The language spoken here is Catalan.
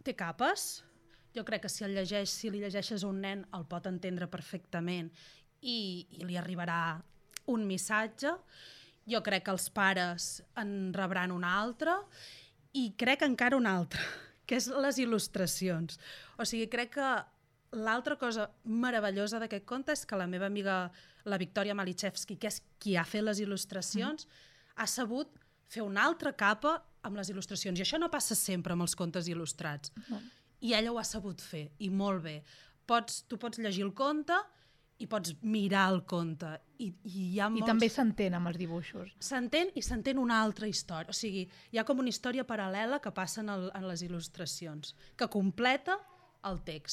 té capes. Jo crec que si li llegeixes a un nen el pot entendre perfectament i li arribarà un missatge. Jo crec que els pares en rebran un altre i crec encara un altre, que és les il·lustracions. O sigui, crec que l'altra cosa meravellosa d'aquest conte és que la meva amiga, la Victòria Malichevski, que és qui ha fet les il·lustracions, ha sabut fer una altra capa amb les il·lustracions. I això no passa sempre amb els contes il·lustrats. I ella ho ha sabut fer, i molt bé. Tu pots llegir el conte i pots mirar el conte. I també s'entén amb els dibuixos. S'entén i s'entén una altra història. O sigui, hi ha com una història paral·lela que passa en les il·lustracions, que completa el text.